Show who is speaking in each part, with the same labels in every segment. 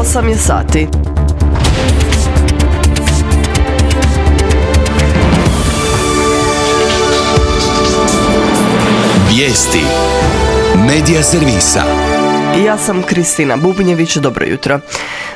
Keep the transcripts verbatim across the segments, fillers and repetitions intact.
Speaker 1: osam je sati.
Speaker 2: Vijesti Medija servisa.
Speaker 1: Ja sam Kristina Bubnjević, dobro jutro.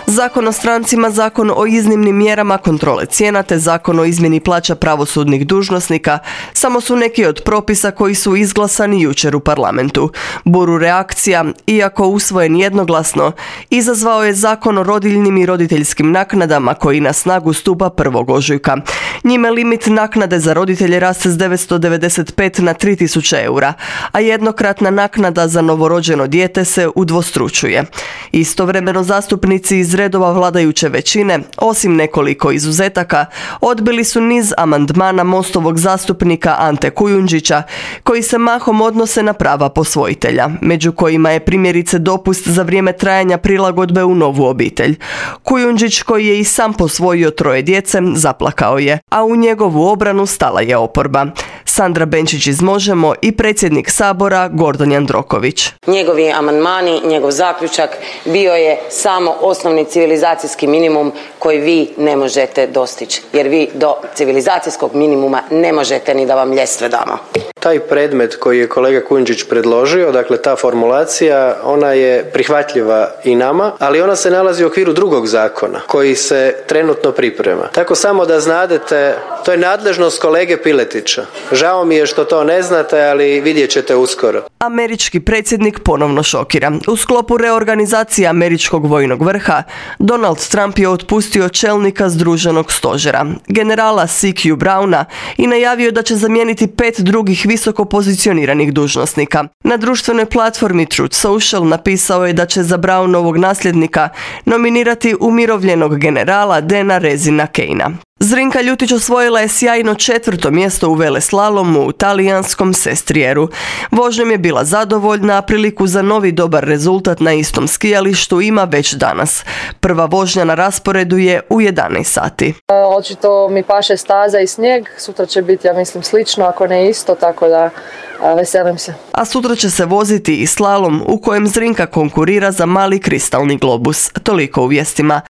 Speaker 1: Zakon o strancima, zakon o iznimnim mjerama kontrole cijena te zakon o izmjeni plaća pravosudnih dužnosnika samo su neki od propisa koji su izglasani jučer u parlamentu. Buru reakcija, iako usvojen jednoglasno, izazvao je zakon o rodiljnim i roditeljskim naknadama koji na snagu stupa prvog ožujka. Njime limit naknade za roditelje raste s devetsto devedeset pet na tri tisuće eura, a jednokratna naknada za novorođeno dijete se udvostručuje. Istovremeno zastupnici iz redova vladajuće većine, osim nekoliko izuzetaka, odbili su niz amandmana Mostovog zastupnika Ante Kujundžića, koji se mahom odnose na prava posvojitelja, među kojima je primjerice dopust za vrijeme trajanja prilagodbe u novu obitelj. Kujundžić, koji je i sam posvojio troje djece, zaplakao je, a u njegovu obranu stala je oporba. Sandra Benčić iz Možemo i predsjednik Sabora Gordan Jandroković.
Speaker 3: Njegovi amandmani, njegov zaključak bio je samo osnovni civilizacijski minimum koji vi ne možete dostići, jer vi do civilizacijskog minimuma ne možete ni da vam ljestve damo.
Speaker 4: Taj predmet koji je kolega Kujundžić predložio, dakle ta formulacija, ona je prihvatljiva i nama, ali ona se nalazi u okviru drugog zakona koji se trenutno priprema. Tako samo da znadete, to je nadležnost kolege Piletića. Žao mi je što to ne znate, ali vidjet ćete uskoro.
Speaker 1: Američki predsjednik ponovno šokira. U sklopu reorganizacije američkog vojnog vrha, Donald Trump je otpustio čelnika Združenog stožera, generala C Q Browna, i najavio da će zamijeniti pet drugih visoko pozicioniranih dužnosnika. Na društvenoj platformi Truth Social napisao je da će za Brownovog nasljednika nominirati umirovljenog generala Dana Rezina Kejna. Zrinka Ljutić osvojila je sjajno četvrto mjesto u veleslalomu u talijanskom Sestrijeru. Vožnjom je bila zadovoljna, a priliku za novi dobar rezultat na istom skijalištu ima već danas. Prva vožnja na rasporedu je u jedanaest sati.
Speaker 5: Očito mi paše staza i snijeg, sutra će biti, ja mislim, slično, ako ne isto, tako da a, veselim se.
Speaker 1: A sutra će se voziti i slalom u kojem Zrinka konkurira za mali kristalni globus. Toliko u vijestima.